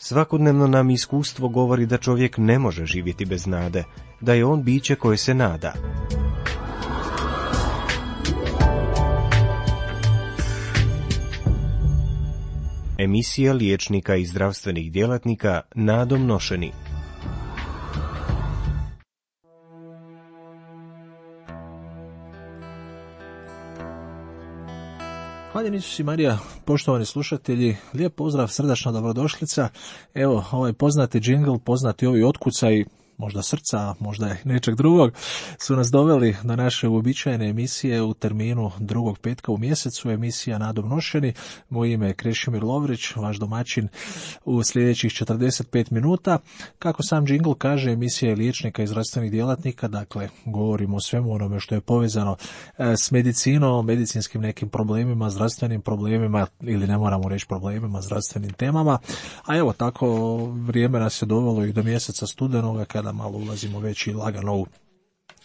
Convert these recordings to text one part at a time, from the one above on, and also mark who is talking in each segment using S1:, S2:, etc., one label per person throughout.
S1: Svakodnevno nam iskustvo govori da čovjek ne može živjeti bez nade, da je on biće koje se nada. Emisija liječnika i zdravstvenih djelatnika nadom nošeni.
S2: Hvala Isus i Marija, poštovani slušatelji, lijep pozdrav, srdačna dobrodošlica. Evo, ovaj poznati džingl, poznati ovi otkucaji, možda srca, možda i nečeg drugog, su nas doveli do naše uobičajene emisije u terminu drugog petka u mjesecu, emisija Nadom nošeni. Moje ime je Krešimir Lovrić, vaš domaćin u sljedećih 45 minuta. Kako sam džingl kaže, emisija je liječnika i zdravstvenih djelatnika, dakle govorimo o svemu onome što je povezano s medicinom, medicinskim nekim problemima, zdravstvenim problemima, ili ne moramo reći problemima, zdravstvenim temama. A evo, tako vrijeme nas je dovelo i do mjeseca studenoga, kada malo ulazimo već i lagano u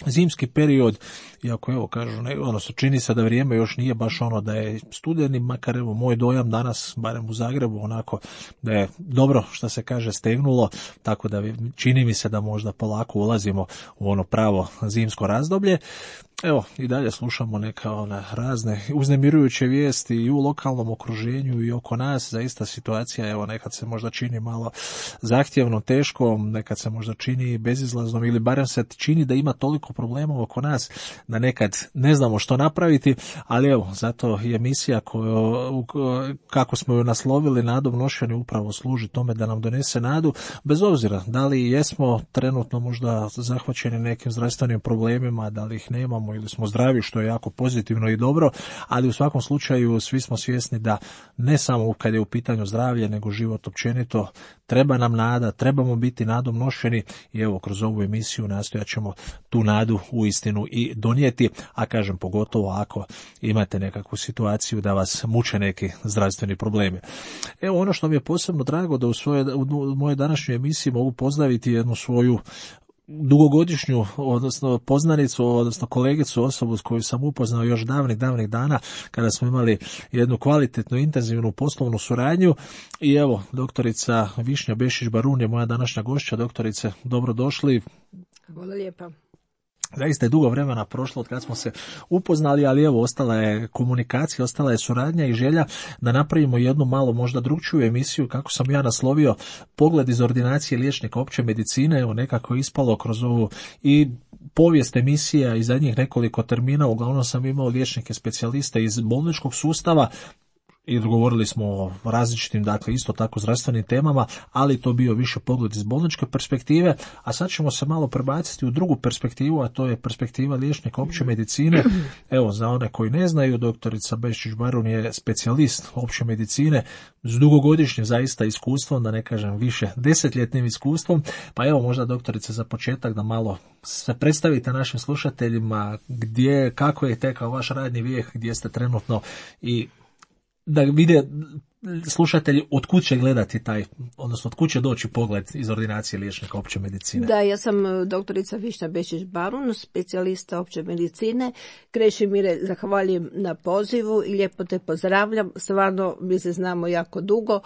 S2: zimski period, iako evo kažu, odnosno čini se da vrijeme još nije baš ono da je studeni, makar evo moj dojam danas, barem u Zagrebu, onako da je dobro što se kaže stegnulo, tako da čini mi se da možda polako ulazimo u ono pravo zimsko razdoblje. Evo, i dalje slušamo neka razne uznemirujuće vijesti i u lokalnom okruženju i oko nas. Zaista situacija, evo, nekad se možda čini malo zahtjevno, teško, nekad se možda čini bezizlaznom, ili barem se čini da ima toliko problema oko nas da nekad ne znamo što napraviti, ali evo, zato je emisija kako smo ju naslovili Nadom nošeni, upravo služi tome da nam donese nadu, bez obzira da li jesmo trenutno možda zahvaćeni nekim zdravstvenim problemima, da li ih nemamo ili smo zdravi, što je jako pozitivno i dobro, ali u svakom slučaju svi smo svjesni da ne samo kad je u pitanju zdravlje, nego život općenito, treba nam nada, trebamo biti nadom nošeni i evo, kroz ovu emisiju nastojat ćemo tu nadu uistinu i donijeti, a kažem pogotovo ako imate nekakvu situaciju da vas muče neki zdravstveni problemi. Evo, ono što mi je posebno drago da u mojoj današnjoj emisiji mogu pozdraviti jednu svoju dugogodišnju, odnosno poznanicu, odnosno kolegicu, osobu s koju sam upoznao još davnih dana, kada smo imali jednu kvalitetnu, intenzivnu poslovnu suradnju. I evo, doktorica Višnja Bešić-Barun je moja današnja gošća. Doktorice, dobrodošli.
S3: Hvala lijepa.
S2: Zaista je dugo vremena prošlo od kad smo se upoznali, ali evo, ostala je komunikacija, ostala je suradnja i želja da napravimo jednu malo možda drugčiju emisiju, kako sam ja naslovio, pogled iz ordinacije liječnika opće medicine. Evo, nekako je ispalo kroz ovu i povijest emisija i zadnjih nekoliko termina, uglavnom sam imao liječnike specijaliste iz bolničkog sustava, i govorili smo o različitim, dakle, isto tako zdravstvenim temama, ali to bio više pogled iz bolničke perspektive, a sad ćemo se malo prebaciti u drugu perspektivu, a to je perspektiva liječnika opće medicine. Evo, za one koji ne znaju, doktorica Bešić-Barun je specijalist opće medicine s dugogodišnjim zaista iskustvom, da ne kažem više desetljetnim iskustvom, pa evo, možda doktorice za početak da malo se predstavite našim slušateljima kako je tekao vaš radni vijek, gdje ste trenutno i da vide slušatelji od kud će gledati odnosno od kud će doći pogled iz ordinacije liječnika opće medicine.
S3: Da, ja sam doktorica Višnja Bešić-Barun, specijalista opće medicine. Krešimire, zahvaljujem na pozivu i lijepo te pozdravljam. Stvarno, mi se znamo jako dugo.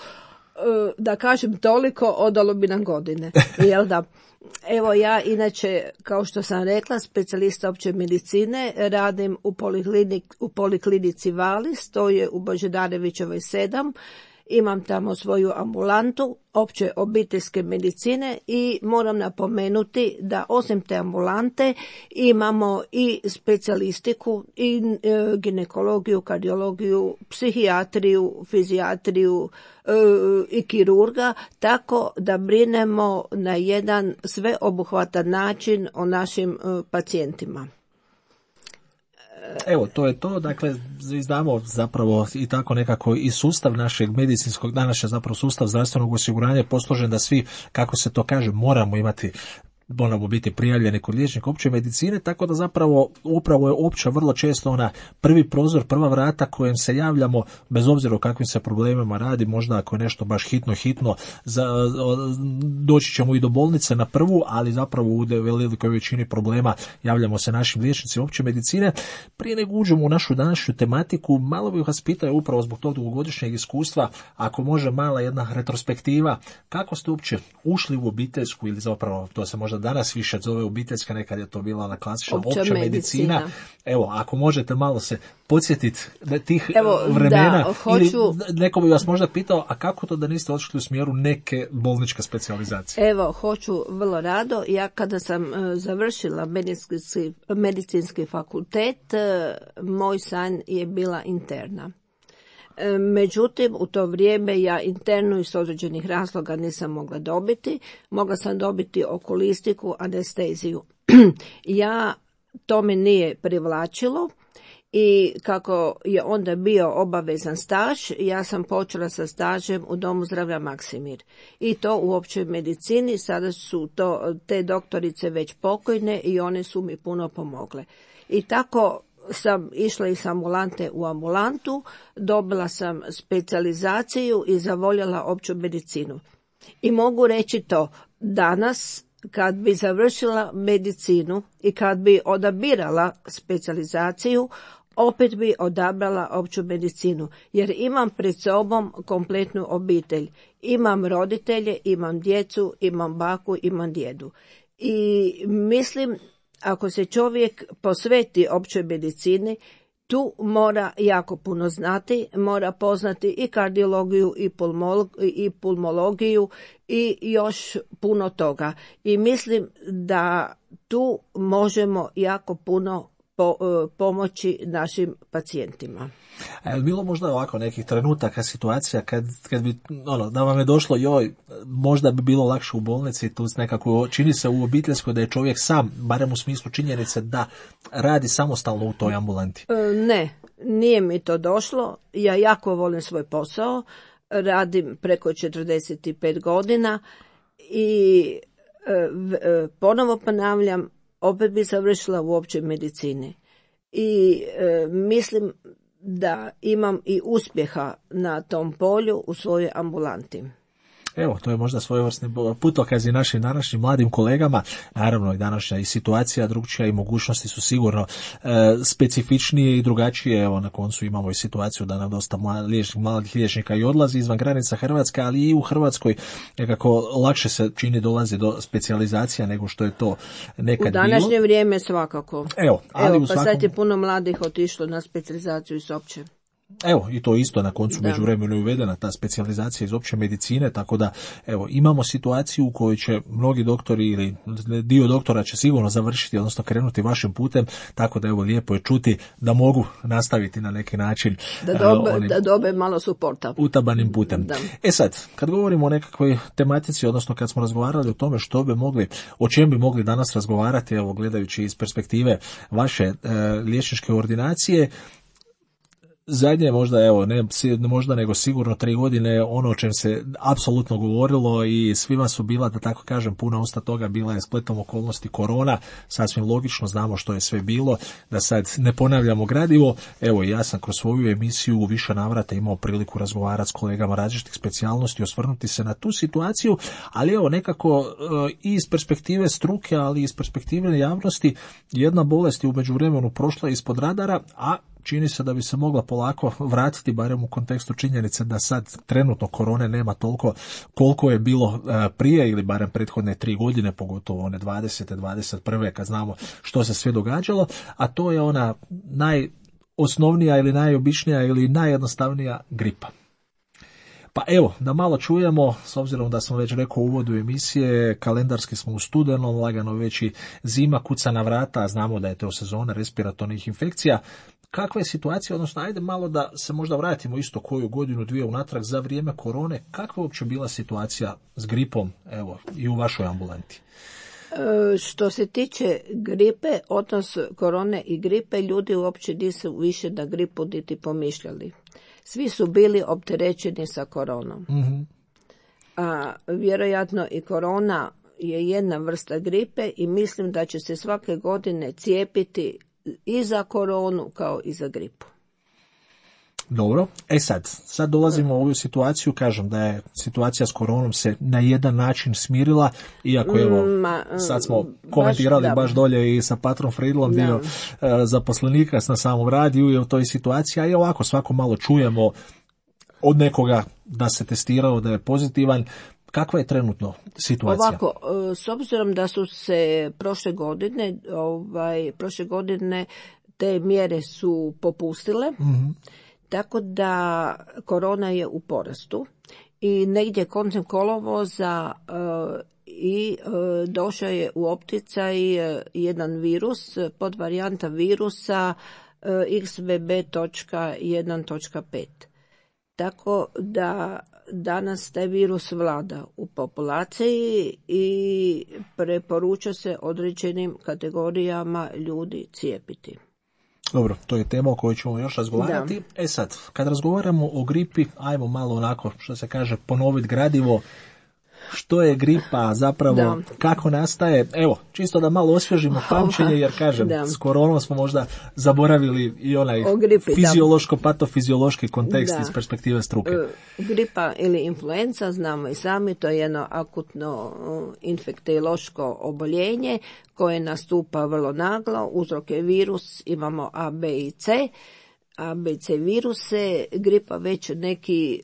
S3: Da kažem toliko, odalo bi nam godine. Jel da? Evo, ja inače, kao što sam rekla, specijalista opće medicine, radim u poliklinici Valis, to je u Božidarevićevoj 7. Imam tamo svoju ambulantu opće obiteljske medicine i moram napomenuti da osim te ambulante imamo i specijalistiku i ginekologiju, kardiologiju, psihijatriju, fizijatriju i kirurga, tako da brinemo na jedan sveobuhvatan način o našim pacijentima.
S2: Evo, to je to, dakle, znamo zapravo i tako nekako i sustav našeg medicinskog, danas je zapravo sustav zdravstvenog osiguranja posložen da svi, kako se to kaže, moramo imati moramo biti prijavljeni kod liječnika opće medicine, tako da zapravo upravo je opća vrlo često ona prvi prozor, prva vrata kojem se javljamo, bez obzira o kakvim se problemima radi, možda ako je nešto baš hitno, doći ćemo i do bolnice na prvu, ali zapravo u velikoj većini problema javljamo se našim liječnicima opće medicine. Prije nego uđemo u našu današnju tematiku, malo bih vas pitao upravo zbog tog dugogodišnjeg iskustva, ako može mala jedna retrospektiva, kako ste uopće ušli u obiteljsku, ili zapravo to se možda danas više zove obiteljska, nekad je to bila ona klasična opća medicina. Evo, ako možete malo se podsjetiti tih vremena, ili neko bi vas možda pitao, a kako to da niste otišli u smjeru neke bolničke specijalizacije?
S3: Evo, hoću vrlo rado. Ja kada sam završila medicinski fakultet, moj san je bila interna. Međutim, u to vrijeme ja internu iz određenih razloga nisam mogla dobiti. Mogla sam dobiti okulistiku, anesteziju. To me nije privlačilo i kako je onda bio obavezan staž, ja sam počela sa stažem u Domu zdravlja Maksimir. I to u općoj medicini. Sada su te doktorice već pokojne i one su mi puno pomogle. I tako sam išla iz ambulante u ambulantu, dobila sam specijalizaciju i zavoljela opću medicinu. I mogu reći to, danas kad bi završila medicinu i kad bi odabirala specijalizaciju, opet bi odabrala opću medicinu, jer imam pred sobom kompletnu obitelj. Imam roditelje, imam djecu, imam baku, imam djedu. I mislim, ako se čovjek posveti općoj medicini, tu mora jako puno znati, mora poznati i kardiologiju i pulmologiju i još puno toga. I mislim da tu možemo jako puno pomoći našim pacijentima.
S2: A je bilo možda ovako nekih trenutaka, situacija kad bi, da vam je došlo, možda bi bilo lakše u bolnici, tu nekako čini se u obiteljskoj da je čovjek sam, barem u smislu činjenice da radi samostalno u toj ambulanti?
S3: Ne, nije mi to došlo. Ja jako volim svoj posao, radim preko 45 godina i ponovo ponavljam, opet bi završila u općoj medicini. I mislim da imam i uspjeha na tom polju u svojoj ambulanti.
S2: Evo, to je možda svojevrsni putokaz i našim današnjim mladim kolegama. Naravno i današnja i situacija drugčija i mogućnosti su sigurno specifičnije i drugačije. Evo, na koncu imamo i situaciju da nam dosta mladih liječnika i odlazi izvan granica Hrvatske, ali i u Hrvatskoj nekako lakše se čini dolazi do specijalizacija nego što je to nekad bilo.
S3: U današnje vrijeme svakako.
S2: Evo,
S3: pa sad je puno mladih otišlo na specijalizaciju iz opće.
S2: Evo, i to isto na koncu međuvremenu je uvedena ta specijalizacija iz opće medicine, tako da evo, imamo situaciju u kojoj će mnogi doktori ili dio doktora će sigurno završiti, odnosno krenuti vašim putem, tako da evo, lijepo je čuti da mogu nastaviti na neki način
S3: da dobe malo suporta
S2: utabanim putem. Da. Sad, kad govorimo o nekakvoj tematici, odnosno kad smo razgovarali o tome o čem bi mogli danas razgovarati, evo, gledajući iz perspektive vaše liječničke ordinacije, zadnje možda, možda nego sigurno 3 godine ono o čem se apsolutno govorilo i svima su bila, da tako kažem, puna usta toga, bila je spletom okolnosti korona, sasvim logično, znamo što je sve bilo, da sad ne ponavljamo gradivo. Evo, ja sam kroz svoju emisiju u više navrata imao priliku razgovarati s kolegama različitih specijalnosti, osvrnuti se na tu situaciju, ali evo, nekako i iz perspektive struke, ali i iz perspektive javnosti, jedna bolest je u međuvremenu prošla ispod radara, a čini se da bi se mogla polako vratiti, barem u kontekstu činjenice da sad trenutno korone nema toliko koliko je bilo prije, ili barem prethodne 3 godine, pogotovo one 20. 21. kad znamo što se sve događalo, a to je ona najosnovnija ili najobičnija ili najjednostavnija gripa. Pa evo, da malo čujemo, s obzirom da sam već rekao u uvodu emisije, kalendarski smo u studenom, lagano već i zima kuca na vrata, a znamo da je to sezona respiratornih infekcija. Kakva je situacija, odnosno ajde malo da se možda vratimo isto koju godinu, 2 unatrag za vrijeme korone, kakva je uopće bila situacija s gripom, evo, i u vašoj ambulanti?
S3: Što se tiče gripe, odnos korone i gripe, ljudi uopće nisu više na gripu niti pomišljali. Svi su bili opterećeni sa koronom. Mm-hmm. A vjerojatno i korona je jedna vrsta gripe i mislim da će se svake godine cijepiti i za koronu kao i za gripu.
S2: Dobro, sad dolazimo u ovu situaciju, kažem da je situacija s koronom se na jedan način smirila, iako evo, sad smo komentirali baš dolje i sa Patrom Friedlom, dio zaposlenika na samom radiju i u toj situaciji, a i ovako svako malo čujemo od nekoga da se testirao, da je pozitivan. Kakva je trenutno situacija?
S3: Ovako, s obzirom da su se prošle godine te mjere su popustile, tako da korona je u porastu i negdje koncem kolovoza došao je u opticaj jedan virus, podvarijanta virusa XBB.1.5. Tako da danas taj virus vlada u populaciji i preporuča se određenim kategorijama ljudi cijepiti.
S2: Dobro, to je tema o kojoj ćemo još razgovarati. Da. Sad, kad razgovaramo o gripi, ajmo malo onako, što se kaže, ponoviti gradivo. Što je gripa zapravo, kako nastaje? Evo, čisto da malo osvježimo pamćenje, jer kažem, s koronom smo možda zaboravili i onaj fiziološko-patofiziološki kontekst iz perspektive struke.
S3: Gripa ili influenza, znamo i sami, to je jedno akutno infektiološko oboljenje koje nastupa vrlo naglo. Uzrok je virus, imamo A, B i C. A, B i C viruse, gripa već neki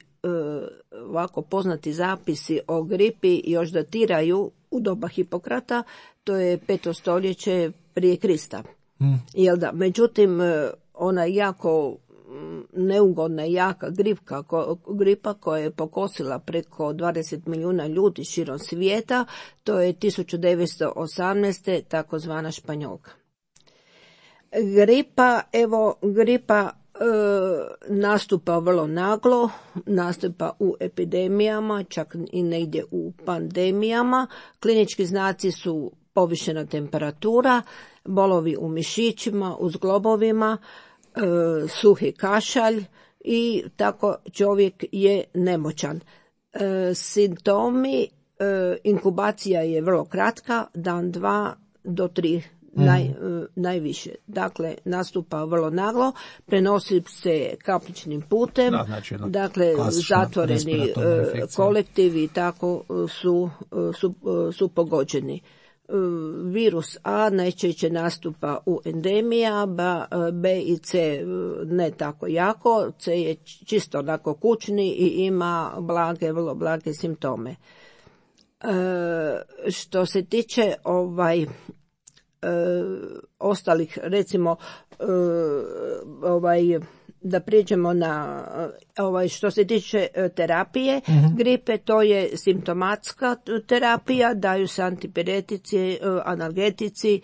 S3: ovako poznati zapisi o gripi još datiraju u doba Hipokrata, to je 5. stoljeće prije Krista. Jel da? Međutim, ona jako neugodna i jaka gripa koja je pokosila preko 20 milijuna ljudi širom svijeta, to je 1918. takozvana španjolka. Gripa nastupa vrlo naglo, nastupa u epidemijama, čak i negdje u pandemijama. Klinički znaci su povišena temperatura, bolovi u mišićima, u zglobovima, suhi kašalj i tako čovjek je nemoćan. Simptomi, inkubacija je vrlo kratka, dan 2 do 3 najviše. Dakle, nastupa vrlo naglo, prenosi se kapličnim putem, dakle, zatvoreni kolektivi tako su pogođeni. Virus A najčešće nastupa u endemija, B i C ne tako jako, C je čisto onako kućni i ima vrlo blage simptome. Što se tiče ostalih, recimo da prijeđemo na što se tiče terapije gripe, to je simptomatska terapija, daju se antipiretici, analgetici,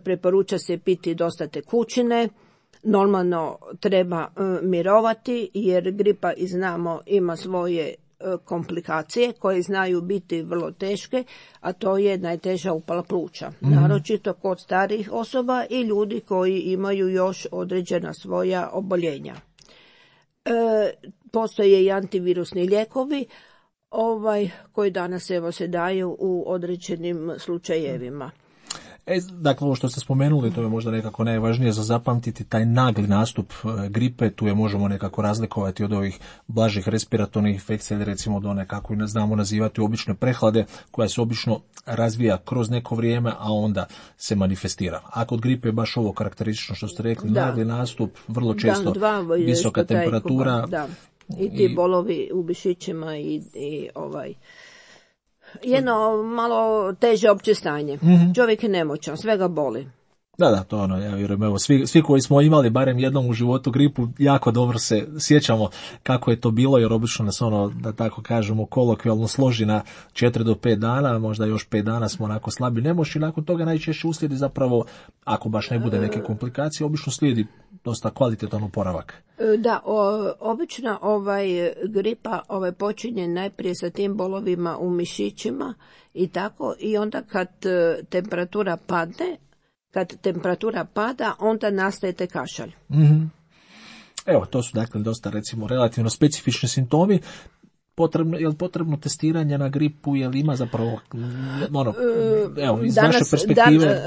S3: preporuča se piti dosta tekućine, normalno treba mirovati jer gripa, i znamo, ima svoje komplikacije koje znaju biti vrlo teške, a to je najteža upala pluća, naročito kod starijih osoba i ljudi koji imaju još određena svoja oboljenja. Postoje i antivirusni lijekovi koji danas se daju u određenim slučajevima.
S2: Dakle, ovo što ste spomenuli, to je možda nekako najvažnije za zapamtiti, taj nagli nastup gripe, tu je možemo nekako razlikovati od ovih blažih respiratornih infekcija ili recimo od one, kako i znamo nazivati, obične prehlade, koja se obično razvija kroz neko vrijeme, a onda se manifestira. A kod gripe je baš ovo karakteristično što ste rekli, nagli nastup, vrlo često visoka temperatura.
S3: I ti bolovi u mišićima i jedno malo teže opće stanje. Čovjek je nemoćan, sve ga boli.
S2: Da, to ja vjerujem, evo, svi koji smo imali barem jednom u životu gripu, jako dobro se sjećamo kako je to bilo, jer obično nas da tako kažemo, kolokvijalno složi na 4 do 5 dana, možda još 5 dana smo onako slabi nemoćni, nakon toga najčešće uslijedi zapravo, ako baš ne bude neke komplikacije, obično slijedi dosta kvalitetan oporavak.
S3: Da, obično gripa počinje najprije sa tim bolovima u mišićima i tako, i onda kad temperatura pada, onda nastaje taj kašalj.
S2: Evo, to su dakle dosta, recimo, relativno specifični simptomi. je li potrebno testiranje na gripu, je li ima zapravo, iz vaše perspektive?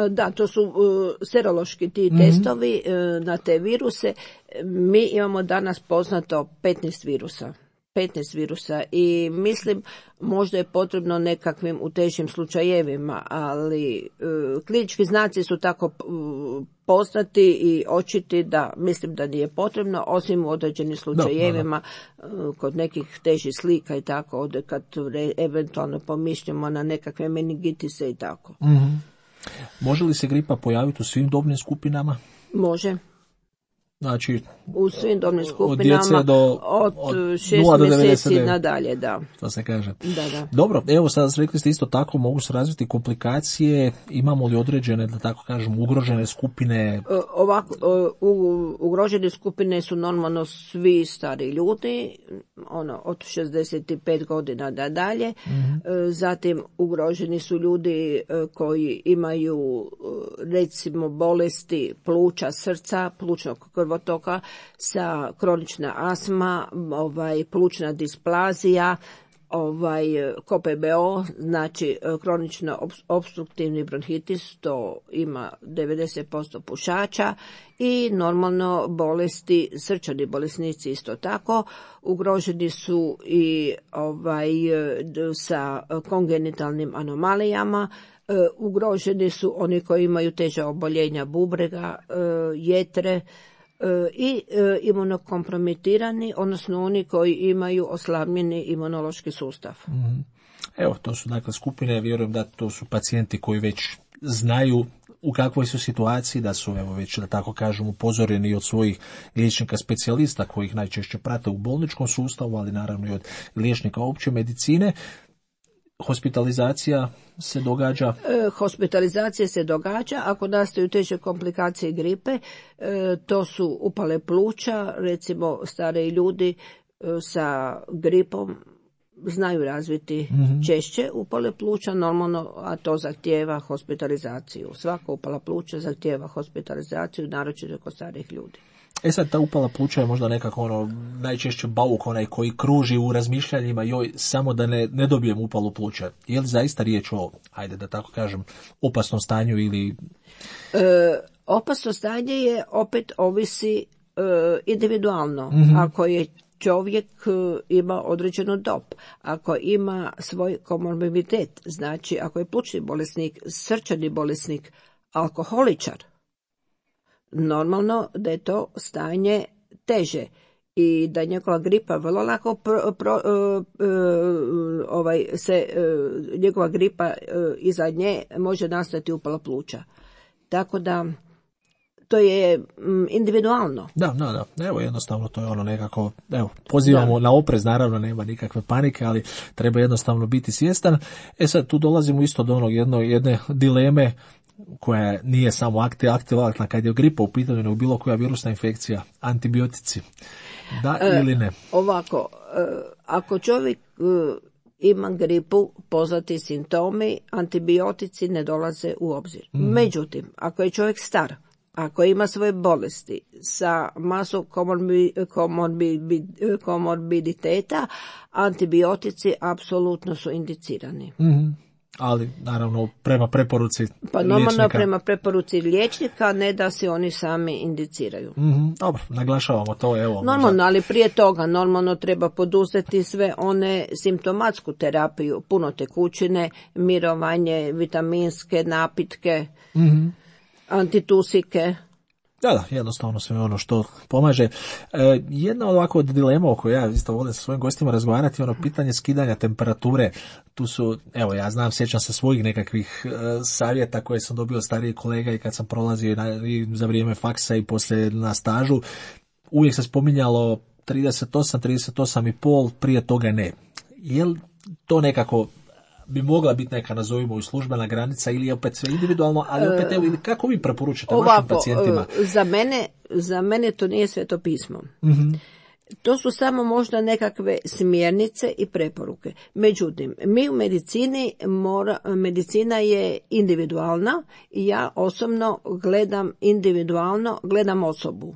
S3: Da, to su serološki ti testovi na te viruse. Mi imamo danas poznato 15 virusa i mislim možda je potrebno nekakvim u težim slučajevima, ali klinički znaci su tako poznati i očiti da mislim da nije potrebno, osim u određenim slučajevima kod nekih težih slika i tako, kad eventualno pomišljamo na nekakve meningitise i tako.
S2: Mm-hmm. Može li se gripa pojaviti u svim dobnim skupinama?
S3: Može.
S2: Znači,
S3: u svim dobnim skupinama, od 6 mjeseci nadalje, da.
S2: To se kaže.
S3: Da.
S2: Dobro, evo sad rekli ste isto tako, mogu se razviti komplikacije, imamo li određene, da tako kažem, ugrožene skupine?
S3: Ugrožene skupine su normalno svi stari ljudi, od 65 godina nadalje, zatim ugroženi su ljudi koji imaju recimo bolesti pluća, srca, plućnog krvotoka, sa kronična astma, plućna displazija, KOPBO, znači kronično opstruktivni bronhitis, to ima 90% pušača, i normalno bolesti, srčani bolesnici isto tako, ugroženi su i sa kongenitalnim anomalijama, ugroženi su oni koji imaju teža oboljenja bubrega, jetre, i imunokompromitirani, odnosno oni koji imaju oslabljeni imunološki sustav.
S2: Evo, to su dakle skupine, vjerujem da to su pacijenti koji već znaju u kakvoj su situaciji, da su već, da tako kažem, upozoreni od svojih liječnika specijalista koji ih najčešće prate u bolničkom sustavu, ali naravno i od liječnika opće medicine. Hospitalizacija se događa?
S3: Hospitalizacija se događa ako nastaju teže komplikacije gripe. To su upale pluća, recimo stariji ljudi sa gripom znaju razviti češće upale pluća, normalno, a to zahtijeva hospitalizaciju. Svaka upala pluća zahtijeva hospitalizaciju, naročito kod starijih ljudi.
S2: Sad, ta upala pluća je možda nekako najčešće bauk onaj koji kruži u razmišljanjima, joj, samo da ne dobijem upalu pluća. Je li zaista riječ o, ajde da tako kažem, opasnom stanju ili...
S3: Opasno stanje je, opet ovisi individualno. Ako je čovjek ima određenu dob, ako ima svoj komorbiditet, znači ako je plućni bolesnik, srčani bolesnik, alkoholičar, normalno da je to stanje teže i da njegova gripa vrlo lako njegova gripa iza nje može nastati upala pluća. Tako da to je individualno.
S2: Da. Evo, jednostavno to je nekako, pozivamo na oprez, naravno nema nikakve panike, ali treba jednostavno biti svjestan. Sad tu dolazimo isto do jedne dileme koja nije samo aktivalna kad je gripa u pitanju, nego bilo koja virusna infekcija, antibiotici, da ili ne?
S3: Ovako, ako čovjek ima gripu, poznati simptomi, antibiotici ne dolaze u obzir. Međutim, ako je čovjek star, ako ima svoje bolesti sa masom komorbiditeta, antibiotici apsolutno su indicirani.
S2: Ali naravno prema preporuci
S3: liječnika. Normalno prema preporuci liječnika, ne da se oni sami indiciraju.
S2: Dobro, naglašavamo to.
S3: Normalno, ali prije toga normalno treba poduzeti sve one simptomatsku terapiju, puno tekućine, mirovanje, vitaminske napitke, antitusike.
S2: Da, jednostavno sve ono što pomaže. Jedna ovako od dilema o kojoj ja isto volim sa svojim gostima razgovarati, pitanje skidanja temperature. Tu su, ja znam, sjećam se svojih nekakvih savjeta koje sam dobio starije kolega i kad sam prolazio i za vrijeme faksa i poslije na stažu. Uvijek se spominjalo 38,5, prije toga ne. Je li to nekako bi mogla biti neka, nazovimo, i službena granica ili je opet sve individualno, ali opet ili kako vi preporučite vašim pacijentima?
S3: Za mene to nije sveto pismo. To su samo možda nekakve smjernice i preporuke. Međutim, mi u medicini, medicina je individualna i ja osobno gledam individualno, gledam osobu.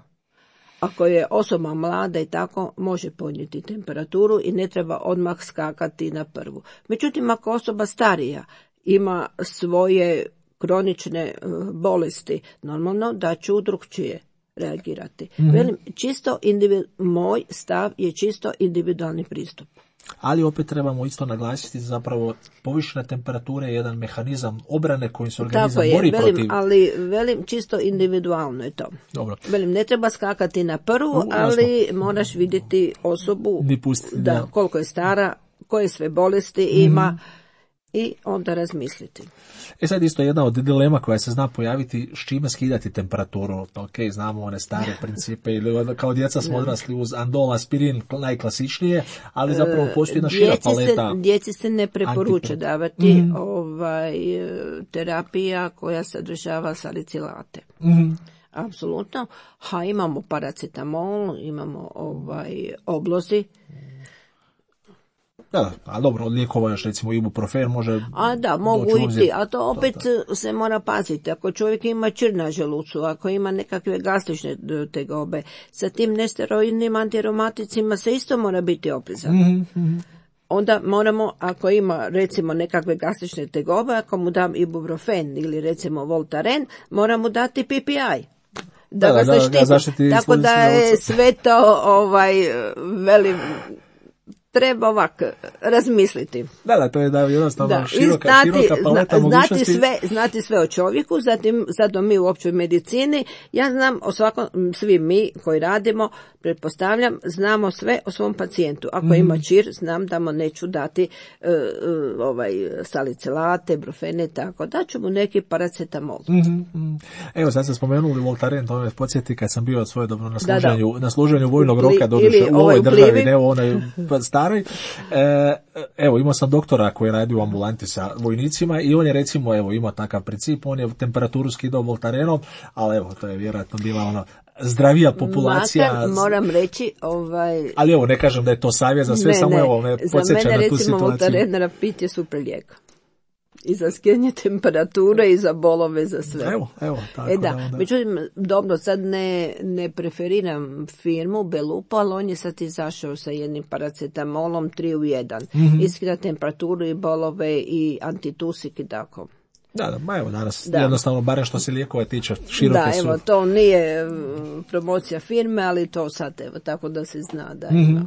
S3: ako je osoba mlada i tako, može podnijeti temperaturu i ne treba odmah skakati na prvu. Međutim, ako osoba starija ima svoje kronične bolesti, normalno da ću drukčije reagirati. Velim, moj stav je čisto individualni pristup.
S2: Ali opet trebamo isto naglasiti zapravo povišene temperature je jedan mehanizam obrane kojim se organizam bori protiv.
S3: Ali čisto individualno je to.
S2: Dobro.
S3: Ne treba skakati na prvu, ali moraš vidjeti osobu koliko je stara, koje sve bolesti ima i onda razmisliti.
S2: Sad isto jedna od dilema koja se zna pojaviti, s čime skidati temperaturu. Ok, znamo one stare principe, ili kao djeca smo odrasli uz Andol, aspirin, najklasičnije, ali zapravo postoji jedna šira paleta.
S3: Djeci se ne preporuča davati terapija koja sadržava salicilate. Apsolutno. Imamo paracetamol, imamo oblozi.
S2: Da, a dobro, od lijekova još recimo ibuprofen može...
S3: mogu iti, a to opet se mora paziti. Ako čovjek ima čir na želucu, ako ima nekakve gastrične tegobe, sa tim nesteroidnim antiaromaticima se isto mora biti oprezan. Onda moramo, ako ima recimo nekakve gastrične tegobe, ako mu dam ibuprofen ili recimo Voltaren, moramo dati PPI. Da ga zaštiti. Tako da je sve to, velim... Treba ovako razmisliti.
S2: To je jednostavno široka paleta mogućnosti.
S3: Znati sve o čovjeku, zato mi u općoj medicini, ja znam o svakom, svi mi koji radimo, pretpostavljam, znamo sve o svom pacijentu. Ako ima čir, znam da mu neću dati salicilate, brufene, tako da ću mu neki paracetamol.
S2: Evo, sad ste spomenuli Voltaren, to me podsjeti kad sam bio svojedobno na služenju vojnog roka, doduše u ovoj državi, ne u onoj staroj. Evo, imao sam doktora koji radi u ambulanti sa vojnicima i on je recimo, ima takav princip, on je temperaturu skidao Voltarenom, ali to je vjerojatno bila zdravija populacija.
S3: Makar, moram reći,
S2: ali ne kažem da je to savjet za sve, samo me podsjeća na tu situaciju.
S3: Za mene recimo Voltaren pit je super lijek. I za skidanje temperature i za bolove, za sve.
S2: Evo, tako da.
S3: Međutim, dobro, sad ne preferiram firmu Belupo, ali on je sad izašao sa jednim paracetamolom 3 u 1. Iskida temperaturu i bolove i antitusik i tako.
S2: Danas jednostavno, barem što se lijekova tiče, široke su.
S3: To nije promocija firme, ali to sad, tako da se zna da ima.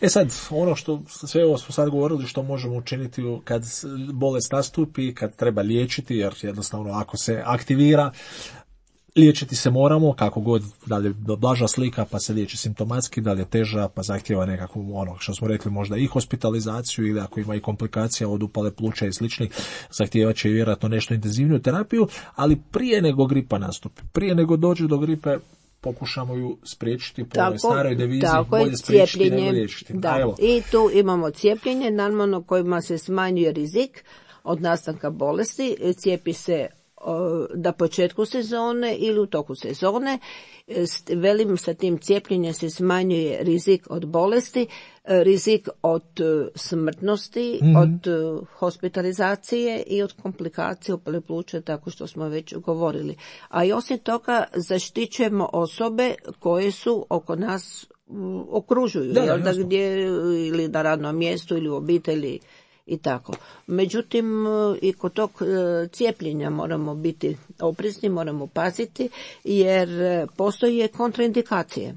S2: Sad, ono što sve ovo smo sad govorili što možemo učiniti kad bolest nastupi, kad treba liječiti, jer jednostavno ako se aktivira, liječiti se moramo, kako god, da li je blaža slika pa se liječi simptomatski, da li je teža pa zahtjeva nekakvu, što smo rekli, možda i hospitalizaciju, ili ako ima i komplikacija od upale pluća i sličnih, zahtijevat će i vjerojatno nešto intenzivniju terapiju, ali prije nego gripa nastupi, prije nego dođe do gripe, pokušamo ju spriječiti po ovoj staroj devizi, bolje spriječiti nego liječiti.
S3: I tu imamo cijepljenje, normalno kojima se smanjuje rizik od nastanka bolesti, cijepi se na početku sezone ili u toku sezone. Velim, sa tim cijepljenjem se smanjuje rizik od bolesti, rizik od smrtnosti, od hospitalizacije i od komplikacije upale pluća, tako što smo već govorili. A i osim toga zaštićujemo osobe koje su oko nas okružuju, gdje ili na radnom mjestu ili u obitelji i tako. Međutim, i kod tog cijepljenja moramo biti oprezni, moramo paziti, jer postoje kontraindikacije.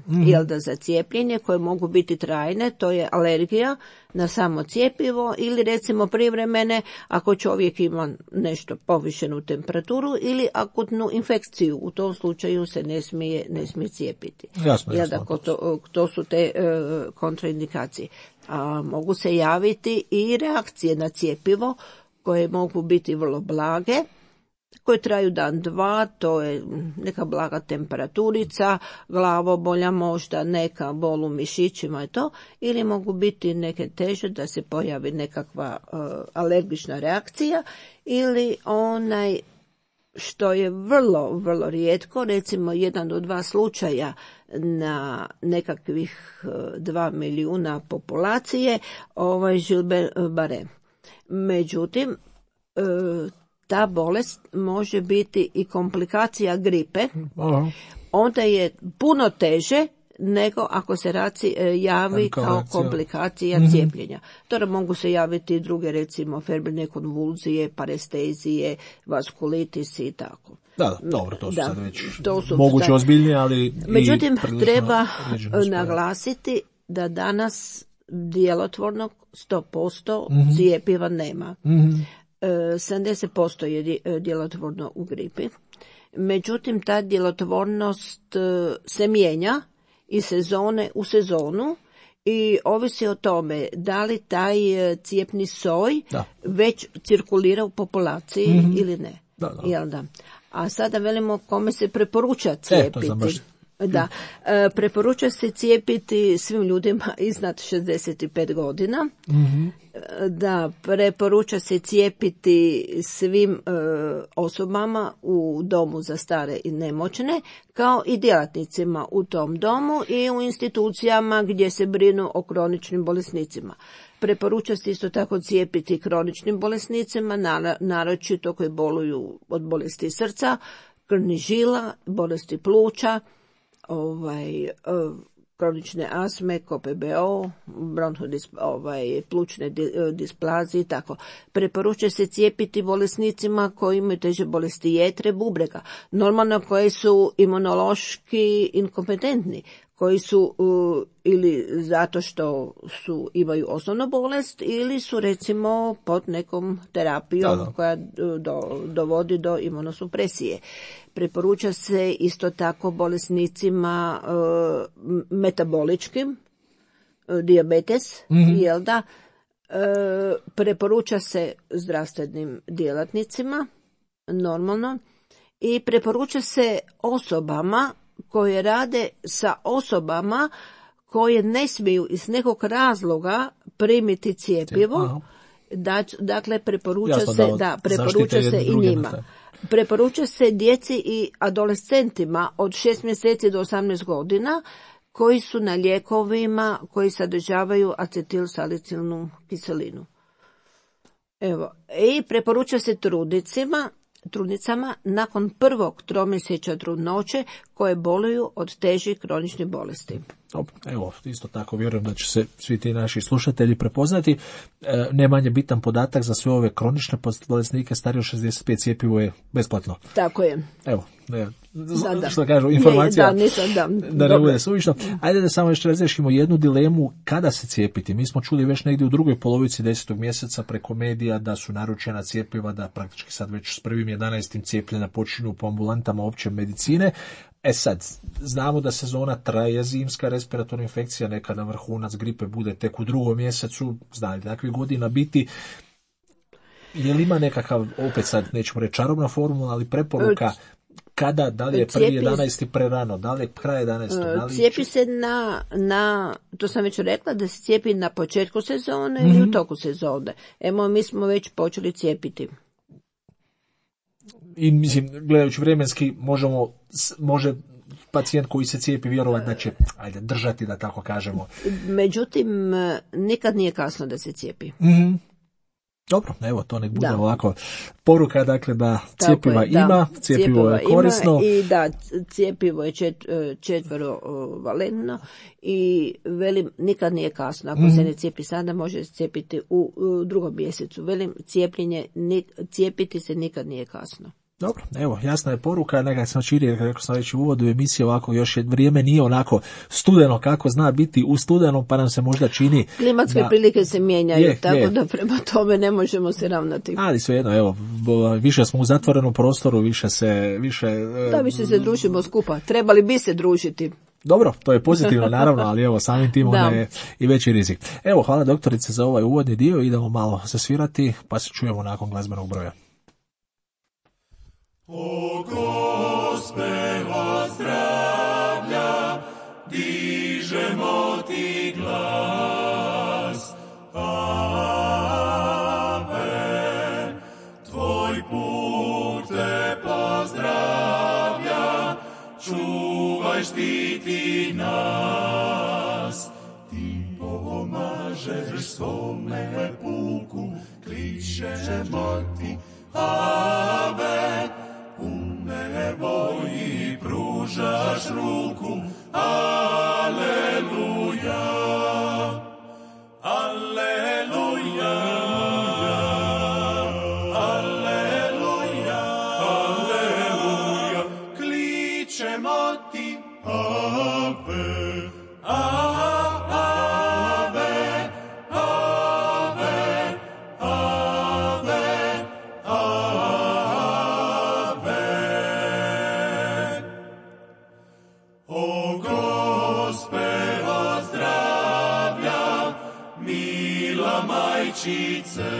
S3: Za cijepljenje koje mogu biti trajne, to je alergija na samo cjepivo ili recimo privremene ako čovjek ima nešto povišenu temperaturu ili akutnu infekciju. U tom slučaju se ne smije cijepiti.
S2: Jasno.
S3: To su te kontraindikacije. A mogu se javiti i reakcije na cjepivo koje mogu biti vrlo blage, koje traju dan, dva, to je neka blaga temperaturica, glavobolja možda, neka bol u mišićima i to, ili mogu biti neke teže da se pojavi nekakva alergična reakcija ili što je vrlo, vrlo rijetko, recimo 1 do 2 slučaja na nekakvih 2 milijuna populacije, Gilbert-Barré. Međutim, ta bolest može biti i komplikacija gripe,
S2: Aha.
S3: onda je puno teže nego ako se javi kao komplikacija cijepljenja. Torej mogu se javiti druge, recimo febrilne konvulzije, parestezije, vaskulitis i tako.
S2: Da, dobro, to su sad već
S3: to su
S2: moguće ozbiljnije, ali
S3: međutim, treba
S2: određeno
S3: naglasiti da danas djelotvornog 100% cijepiva nema. 70% je djelotvorno u gripi. Međutim, ta djelotvornost se mijenja iz sezone u sezonu i ovisi o tome da li taj cijepni soj već cirkulira u populaciji ili ne. Jel da? A sada velimo kome se preporuča cijepiti. Da, preporuča se cijepiti svim ljudima iznad 65 godina. Da, preporuča se cijepiti svim osobama u domu za stare i nemoćne, kao i djelatnicima u tom domu i u institucijama gdje se brinu o kroničnim bolesnicima. Preporuča se isto tako cijepiti kroničnim bolesnicima, naročito koji boluju od bolesti srca, krvnih žila, bolesti pluća, kronične astme, KOPBO, plućne displazije i tako. Preporučuje se cijepiti bolesnicima koji imaju teže bolesti jetre, bubrega, normalno koji su imunološki inkompetentni, koji su ili zato što imaju osnovnu bolest ili su recimo pod nekom terapijom koja dovodi do imunosupresije. Preporuča se isto tako bolesnicima metaboličkim, dijabetes, jel da? Preporuča se zdravstvenim djelatnicima, normalno, i preporuča se osobama koje rade sa osobama koje ne smiju iz nekog razloga primiti cjepivo. Dakle, preporuča se i njima. Preporuča se djeci i adolescentima od 6 mjeseci do 18 godina koji su na lijekovima koji sadržavaju acetilsalicilnu kiselinu. Evo, i preporuča se trudnicama nakon prvog tromjesečja trudnoće koje boluju od težih kroničnih bolesti.
S2: Evo, isto tako vjerujem da će se svi ti naši slušatelji prepoznati. Ne manje bitan podatak za sve ove kronične bolesnike starije od 65 cjepivo je besplatno.
S3: Tako je.
S2: Evo, što kažu, informacija da ne bude suvišno. Ajde da samo još razriješimo jednu dilemu kada se cijepiti. Mi smo čuli već negdje u drugoj polovici 10. mjeseca preko medija da su naručena cjepiva, da praktički sad već s 1.11. cijepljenja počinju po ambulantama opće medicine. Sad, znamo da sezona traje, zimska respiratorna infekcija, nekada vrhunac gripe bude tek u 2. mjesecu, znali takvih godina biti. Je li ima nekakav, opet sad nećemo reći čarobna formula, ali preporuka kada, da li je 1.11. prerano, da li je kraj 11.
S3: Cijepi se to sam već rekla, da se cijepi na početku sezone ili u toku sezone. Evo, mi smo već počeli cijepiti.
S2: I mislim, gledajući vremenski, može pacijent koji se cijepi vjerovati da će držati, da tako kažemo.
S3: Međutim, nikad nije kasno da se cijepi.
S2: Dobro, evo, to nek bude ovako poruka, dakle, da cjepiva ima, cjepivo je korisno.
S3: I da, cjepivo je četvrovalentno i velim, nikad nije kasno. Ako se ne cijepi sada, može se cijepiti u 2. mjesecu. Velim, cijepiti se nikad nije kasno.
S2: Dobro, evo, jasna je poruka, nekak sam čini, kako sam već u uvodu emisije, ovako još vrijeme nije onako studeno kako zna biti u studenom, pa nam se možda čini...
S3: Klimatske prilike se mijenjaju, tako da prema tome ne možemo se ravnati.
S2: Ali svejedno, evo, više smo u zatvorenom prostoru, više se
S3: družimo skupa, trebali bi se družiti.
S2: Dobro, to je pozitivno naravno, ali evo, samim tim onda je i veći rizik. Evo, hvala doktorice za ovaj uvodni dio, idemo malo zasvirati, pa se čujemo nakon glazbenog broja.
S4: O Gospela zdravlja, dižemo ti glas. Ave, tvoj put te pozdravlja, čuvaj, štiti nas. Ti pomažeš svome puku, kličemo ti, majčice.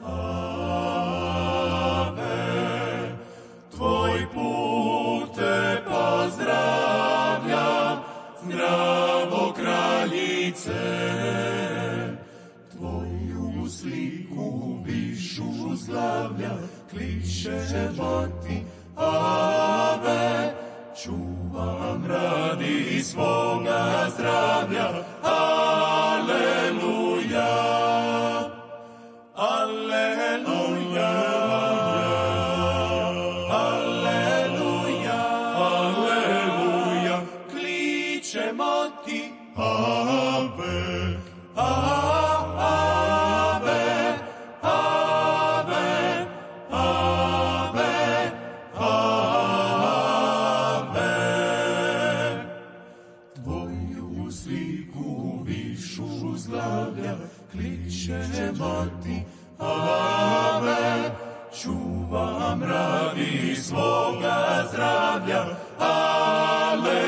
S4: Ave, tvoj put te pozdravlja, zdravo kraljice. Tvoju sliku višu slavlja, kličemo ti, ave, čuvam radi svoga zdravlja, aleluja, aleluja, aleluja, aleluja, kličemo ti, ave, ave, ave, ave, ave. Tvoju sliku višu slavlja, kličemo ti, ave, čuvam radi svoga zdravlja, aleluja.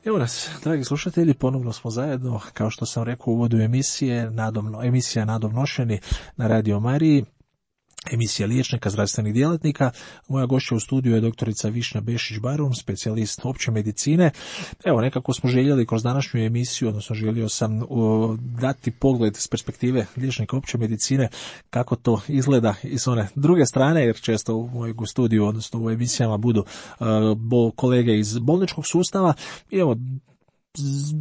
S2: Evo nas, dragi slušatelji, ponovno smo zajedno, kao što sam rekao u uvodu emisije, emisija Nadomnošeni na Radio Mariji, emisija liječnika, zdravstvenih djelatnika. Moja gošća u studiju je doktorica Višnja Bešić-Barun, specijalist opće medicine. Evo, nekako smo željeli kroz današnju emisiju, odnosno želio sam dati pogled s perspektive liječnika opće medicine, kako to izgleda iz one druge strane, jer često u mojeg studiju, odnosno u emisijama budu kolege iz bolničkog sustava. I evo,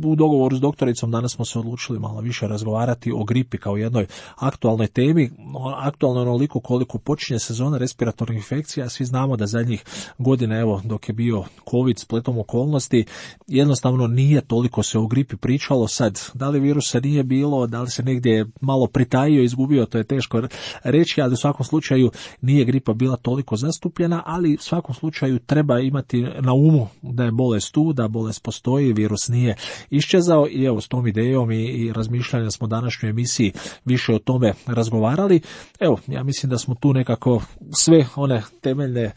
S2: u dogovoru s doktoricom danas smo se odlučili malo više razgovarati o gripi kao jednoj aktualnoj temi, aktualno onoliko koliko počinje sezona respiratornih infekcija. Svi znamo da zadnjih godina, evo, dok je bio COVID spletom okolnosti, jednostavno nije toliko se o gripi pričalo. Sad, da li virusa nije bilo, da li se negdje malo pritajio, izgubio, to je teško reći, ali u svakom slučaju nije gripa bila toliko zastupljena, ali u svakom slučaju treba imati na umu da je bolest tu, da bolest postoji, virus nije iščezao. I evo, s tom idejom i razmišljanjem smo u današnjoj emisiji više o tome razgovarali. Evo, ja mislim da smo tu nekako sve one temeljne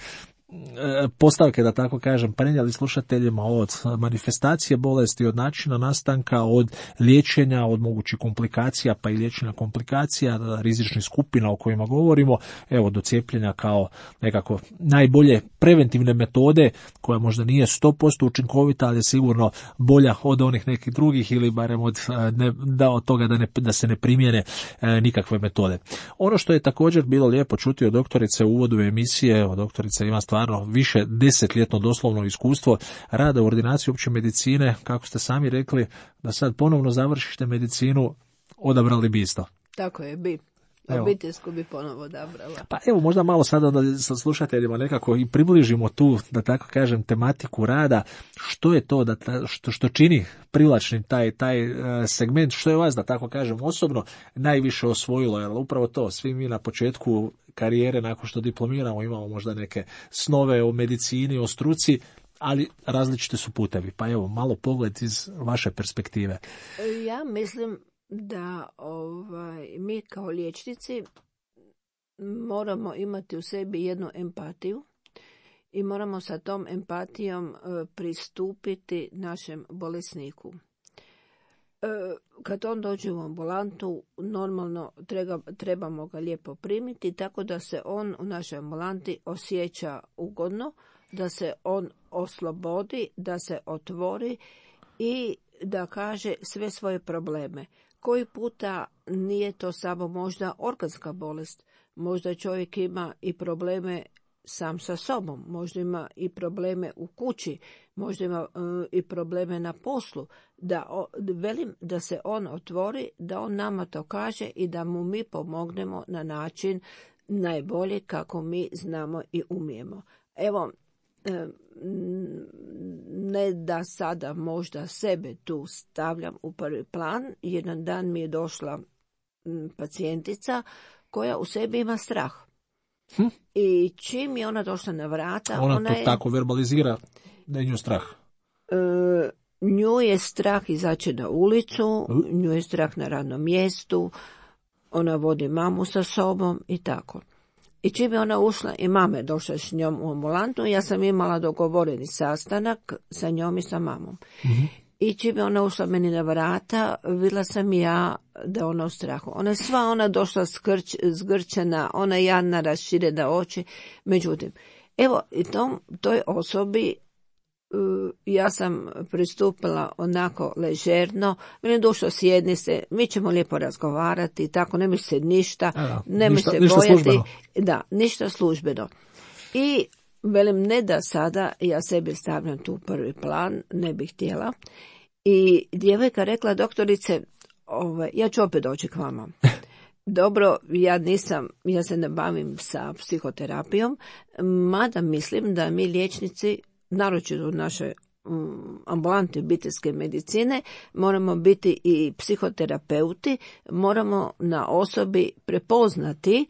S2: postavke, da tako kažem, prenijeli slušateljima od manifestacije bolesti, od načina nastanka, od liječenja, od mogućih komplikacija, pa i liječenja komplikacija, rizičnih skupina o kojima govorimo, evo, do cijepljenja kao nekako najbolje preventivne metode, koja možda nije 100% učinkovita, ali je sigurno bolja od onih nekih drugih, ili barem od toga da se ne primjene nikakve metode. Ono što je također bilo lijepo čuti od doktorice u uvodu emisije, evo, doktorica ima stvarno više 10-ljetno doslovno iskustvo rada u ordinaciji opće medicine. Kako ste sami rekli, da sad ponovno završite medicinu, odabrali bi isto.
S3: Tako je, bi. Obiteljsku bi ponovo odabrala.
S2: Pa evo, možda malo sada da sa slušateljima nekako i približimo tu, da tako kažem, tematiku rada. Što je to što čini privlačnim taj segment, što je vas, da tako kažem, osobno najviše osvojilo? Jer upravo to, svi mi na početku karijere, nakon što diplomiramo, imamo možda neke snove o medicini, o struci, ali različite su putevi. Pa evo, malo pogled iz vaše perspektive.
S3: Ja mislim da mi kao liječnici moramo imati u sebi jednu empatiju i moramo sa tom empatijom pristupiti našem bolesniku. Kad on dođe u ambulantu, normalno trebamo ga lijepo primiti, tako da se on u našoj ambulanti osjeća ugodno, da se on oslobodi, da se otvori i da kaže sve svoje probleme. Koji puta nije to samo možda organska bolest, možda čovjek ima i probleme sam sa sobom, možda ima i probleme u kući, možda ima i probleme na poslu, da se on otvori, da on nama to kaže i da mu mi pomognemo na način najbolje kako mi znamo i umijemo. Evo, ne da sada možda sebe tu stavljam u prvi plan. Jedan dan mi je došla pacijentica koja u sebi ima strah. I čim je ona došla na vrata,
S2: ona to tako verbalizira. Da je nju strah?
S3: Nju je strah izaći na ulicu, nju je strah na radnom mjestu, ona vodi mamu sa sobom i tako. I čim je ona ušla i mama je došla s njom u ambulantu, ja sam imala dogovoreni sastanak sa njom i sa mamom. Mm-hmm. I čim je ona ušla meni na vrata, vidjela sam ja da ona u strahu. Ona je sva došla zgrčena, ona jadna, raširena oči. Međutim, evo, i toj osobi ja sam pristupila onako ležerno, meni došlo sjedni se, mi ćemo lijepo razgovarati, tako, ne mi se ništa, ne mi se bojati.
S2: Službeno.
S3: Da, ništa službeno. I velim, ne da sada ja sebi stavljam tu prvi plan, ne bih htjela. I djevojka rekla, doktorice, ja ću opet doći k vama. Dobro, ja se ne bavim sa psihoterapijom, mada mislim da mi liječnici, naročito u našoj ambulanti obiteljske medicine, moramo biti i psihoterapeuti, moramo na osobi prepoznati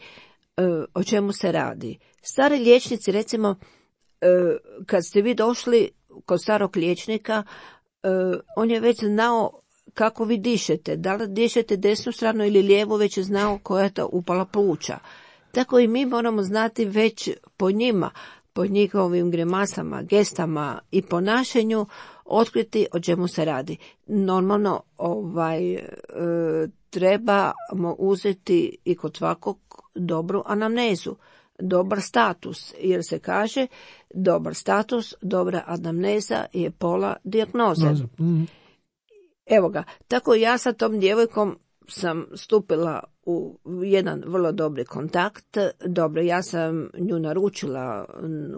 S3: o čemu se radi. Stari liječnici, recimo, kad ste vi došli kod starog liječnika, on je već znao kako vi dišete, da li dišete desnu stranu ili lijevu, već je znao koja je to upala pluća. Tako i mi moramo znati već po njima, po njihovim grimasama, gestama i ponašanju, otkriti o čemu se radi. Normalno, trebamo uzeti i kod svakog dobru anamnezu, dobar status, jer se kaže dobar status, dobra anamneza je pola dijagnoze. Evo ga, tako ja sa tom djevojkom sam stupila u jedan vrlo dobri kontakt. Dobro, ja sam nju naručila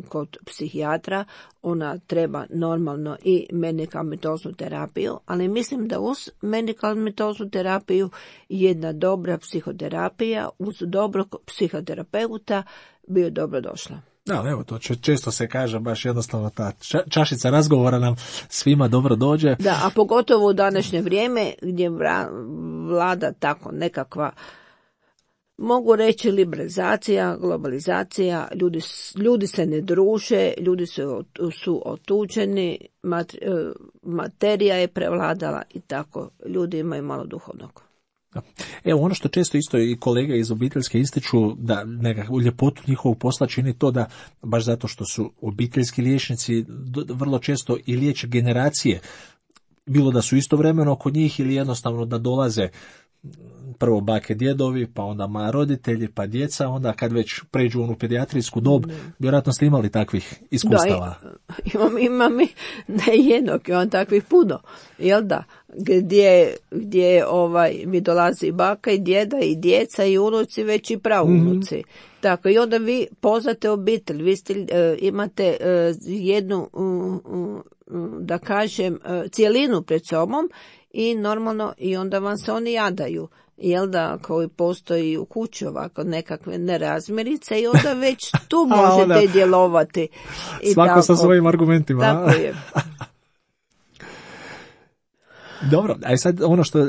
S3: kod psihijatra, ona treba normalno i medikamentoznu terapiju, ali mislim da uz medikamentoznu terapiju jedna dobra psihoterapija uz dobrog psihoterapeuta bi joj dobro došla.
S2: Da, evo, to često se kaže, baš jednostavno ta čašica razgovora nam svima dobro dođe.
S3: Da, a pogotovo u današnje vrijeme gdje vlada tako nekakva, mogu reći, liberalizacija, globalizacija, ljudi se ne druže, ljudi su otuđeni, materija je prevladala i tako, ljudi imaju malo duhovnog.
S2: Evo, ono što često isto i kolege iz obiteljske ističu, da nekakvu ljepotu njihovog posla čini to da, baš zato što su obiteljski liječnici vrlo često i liječe generacije, bilo da su istovremeno kod njih ili jednostavno da dolaze prvo bake, djedovi, pa onda roditelji, pa djeca, onda kad već pređu u onu pedijatrijsku dob, vjerojatno ste imali takvih iskustava.
S3: Da, imam i ne jednog, imam takvih puno, jel da? Gdje mi dolazi baka i djeda i djeca i unuci, već i praunuci. Mm-hmm. Tako, i onda vi poznate obitelj, vi imate jednu, da kažem, cijelinu pred sobom i normalno i onda vam se oni jadaju. Jel da, koji postoji u kući ovako nekakve nerazmirice i onda već tu možete djelovati. I
S2: svako
S3: tako,
S2: sa svojim argumentima.
S3: Tako je.
S2: Dobro, a sad ono što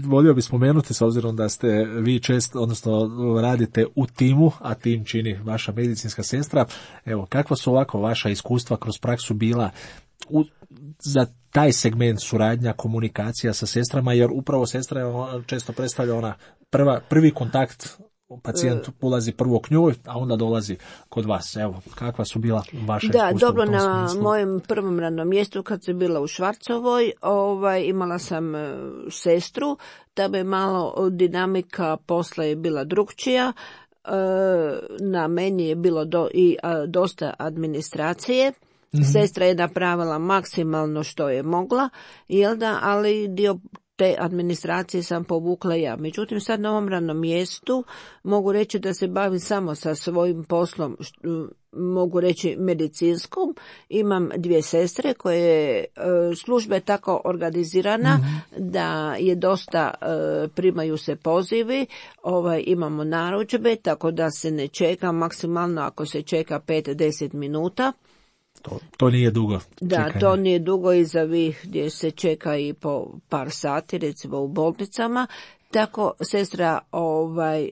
S2: volio bi spomenuti, s obzirom da ste vi odnosno radite u timu, a tim čini vaša medicinska sestra, evo, kakva su ovako vaša iskustva kroz praksu bila za taj segment suradnja, komunikacija sa sestrama, jer upravo sestra često predstavlja prvi kontakt, pacijent ulazi prvo k njoj, a onda dolazi kod vas. Evo, kakva su bila vaša iskustva?
S3: Da, dobro, na mojem prvom radnom mjestu kad sam bila u Švarcovoj, imala sam sestru, da bi malo dinamika posla je bila drukčija, na meni je bilo dosta administracije. Mm-hmm. Sestra je napravila maksimalno što je mogla, jel da, ali dio te administracije sam povukla ja. Međutim, sad na ovom radnom mjestu mogu reći da se bavim samo sa svojim poslom, mogu reći medicinskom. Imam 2 sestre koje služba je tako organizirana da je dosta, primaju se pozivi, imamo narudžbe, tako da se ne čeka, maksimalno ako se čeka 5-10 minuta.
S2: To nije dugo
S3: Da,
S2: čekanje.
S3: To nije dugo iza gdje se čeka i po par sati, recimo u bolnicama, Tako sestra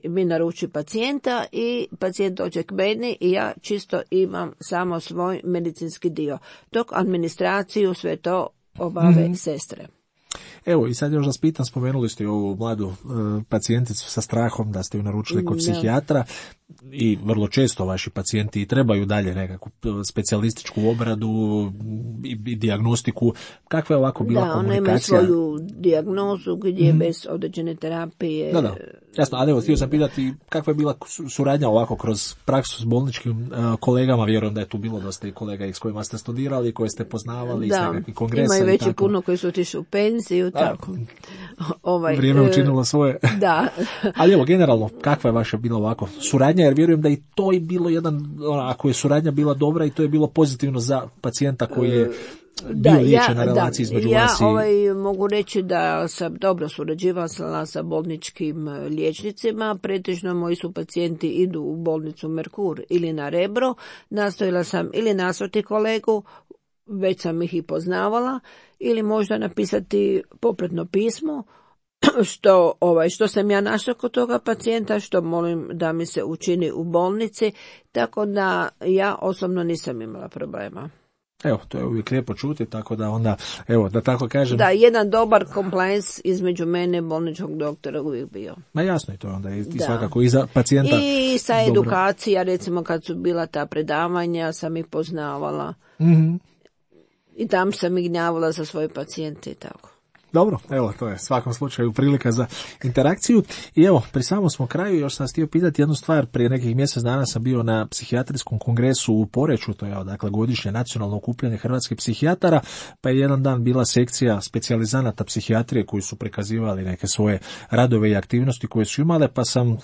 S3: mi naruči pacijenta i pacijent dođe k meni i ja čisto imam samo svoj medicinski dio. Dok administraciju sve to obave sestre.
S2: Evo, i sad još vas pitam, spomenuli ste ovu mladu pacijenticu sa strahom da ste ju naručili kod psihijatra i vrlo često vaši pacijenti trebaju dalje nekakvu specijalističku obradu i dijagnostiku. Kakva je ovako bila komunikacija?
S3: Da, ona ima svoju dijagnozu gdje bez određene terapije.
S2: Da, jasno, ali evo, htio sam pitati kakva je bila suradnja ovako kroz praksu s bolničkim kolegama, vjerujem da je tu bilo dosta i kolega s kojima ste studirali, koje ste poznavali iz nekakvih kongresa.
S3: Imaju već i puno koji su otišli u penziju, tako.
S2: Vrijeme učinilo svoje.
S3: Da.
S2: Ali evo, generalno, kakva je vaša bila ovako suradnja, jer vjerujem da i to je bilo ako je suradnja bila dobra i to je bilo pozitivno za pacijenta koji je bio liječen na relaciji između vas i...
S3: Ja mogu reći da sam dobro surađivala sa bolničkim liječnicima, pretežno moji su pacijenti idu u bolnicu Merkur ili na Rebro, nastojala sam ili nasroti kolegu, već sam ih i poznavala, ili možda napisati popratno pismo, što sam ja našla kod toga pacijenta, što molim da mi se učini u bolnici, tako da ja osobno nisam imala problema.
S2: Evo, to je uvijek lijepo čuti, tako da onda, evo, da tako kažem...
S3: Da, jedan dobar compliance između mene i bolničkog doktora uvijek bio.
S2: Ma jasno, i to onda i svakako i za pacijenta...
S3: I sa edukacija, recimo kad su bila ta predavanja, sam ih poznavala. I tam sam ih gnjavala za svoje pacijente i tako.
S2: Dobro, evo, to je svakom slučaju prilika za interakciju. I evo, pri samom smo kraju, još sam htio pitati jednu stvar. Prije nekih mjesec dana sam bio na psihijatrijskom kongresu u Poreču, to je dakle godišnje nacionalno okupljanje hrvatskih psihijatara, pa je jedan dan bila sekcija specijalizanata psihijatrije koji su prikazivali neke svoje radove i aktivnosti koje su imale, pa sam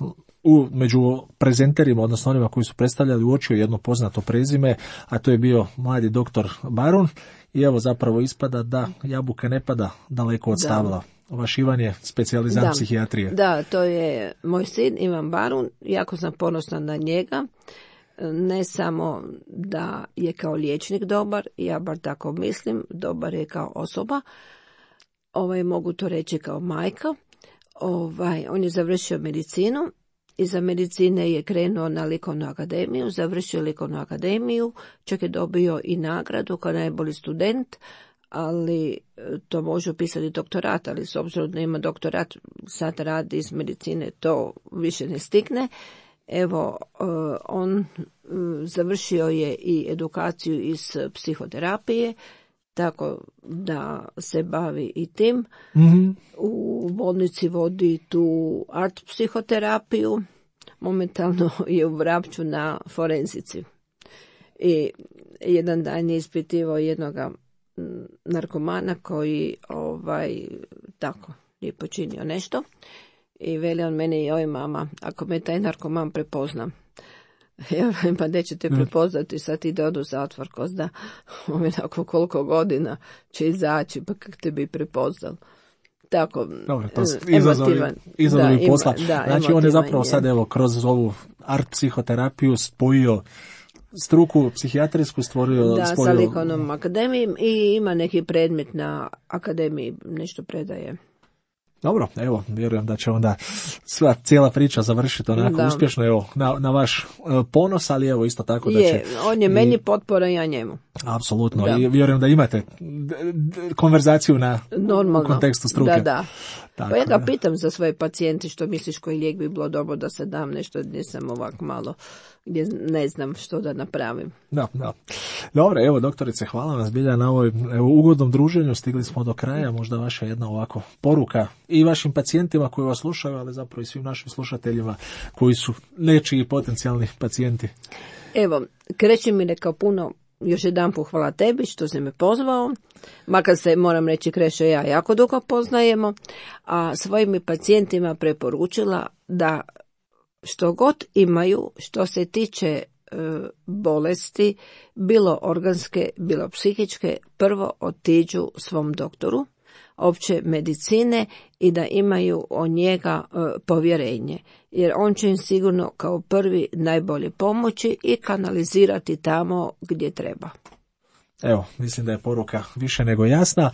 S2: među prezenterima, odnosno onima koji su predstavljali, uočio jedno poznato prezime, a to je bio mladi doktor Barun. I evo zapravo ispada da jabuka ne pada daleko od stabla. Vaš Ivan je specijalizant psihijatrije.
S3: Da, to je moj sin Ivan Barun. Jako sam ponosna na njega. Ne samo da je kao liječnik dobar, ja bar tako mislim, dobar je kao osoba. Mogu to reći kao majka. On je završio medicinu. Iza medicine je krenuo na likovnu akademiju, završio likovnu akademiju, čak je dobio i nagradu kao najbolji student, ali to može upisati doktorat, ali s obzirom da ima doktorat, sad radi iz medicine, to više ne stigne. Evo, on završio je i edukaciju iz psihoterapije, tako da se bavi i tim. U bolnici vodi tu art psihoterapiju, momentalno je u Vrapču na forenzici. I jedan dan je ispitivao jednoga narkomana koji tako je počinio nešto i veli on meni, joj mama, ako me taj narkoman prepozna, ja pa nećete prepoznati, sad ide od u zatvor, ko zna nakon koliko godina će izaći, pa kak te bi prepoznal. Tako,
S2: dobro, to izazovi posla. Znači on je zapravo sad evo kroz ovu art psihoterapiju spojio struku psihijatrijsku, stvorio
S3: sa likovnom akademijom i ima neki predmet na akademiji, nešto predaje.
S2: Dobro, evo, vjerujem da će onda sva cijela priča završiti onako uspješno, evo, na vaš ponos, ali evo isto tako da će...
S3: On je meni potpora i ja njemu.
S2: Apsolutno, i vjerujem da imate konverzaciju u kontekstu struke.
S3: Da. Tako, pa ja ga pitam za svoje pacijente, što misliš koji lijek bi bilo dobro da se dam, nešto nisam ovak malo, gdje ne znam što da napravim. Da.
S2: Dobro, evo doktorice, hvala vam zbilja na ovoj ugodnom druženju, stigli smo do kraja, možda vaša jedna ovako poruka i vašim pacijentima koji vas slušaju, ali zapravo i svim našim slušateljima koji su nečiji potencijalni pacijenti.
S3: Evo, kreće mi rekao puno. Još jedan put hvala tebi što si me pozvao, makar se, moram reći, Krešo i ja jako dugo poznajemo, a svojim mi pacijentima preporučila da što god imaju, što se tiče bolesti, bilo organske, bilo psihičke, prvo otiđu svom doktoru opće medicine i da imaju o njega povjerenje, jer on će im sigurno kao prvi najbolje pomoći i kanalizirati tamo gdje treba.
S2: Evo, mislim da je poruka više nego jasna.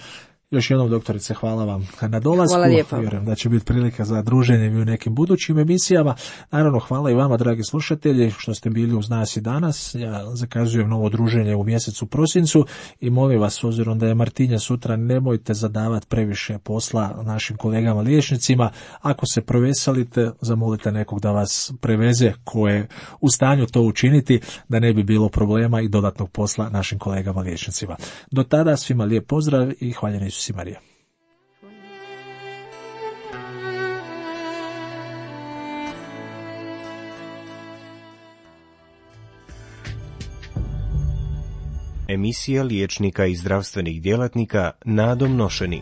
S2: Još jednom, doktorice, hvala vam na dolasku.
S3: Hvala lijepo.
S2: Vjerujem da će biti prilika za druženje i u nekim budućim emisijama. Naravno, hvala i vama, dragi slušatelji, što ste bili uz nas i danas. Ja zakazujem novo druženje u mjesecu prosincu i molim vas, s obzirom da je Martinja sutra, nemojte zadavati previše posla našim kolegama liječnicima. Ako se proveselite, zamolite nekog da vas preveze ko je u stanju to učiniti, da ne bi bilo problema i dodatnog posla našim kolegama liječnicima. Do tada svima lijep pozdrav i hvaljeni Isus i Marija.
S1: Emisija liječnika i zdravstvenih djelatnika Nadom Nošeni.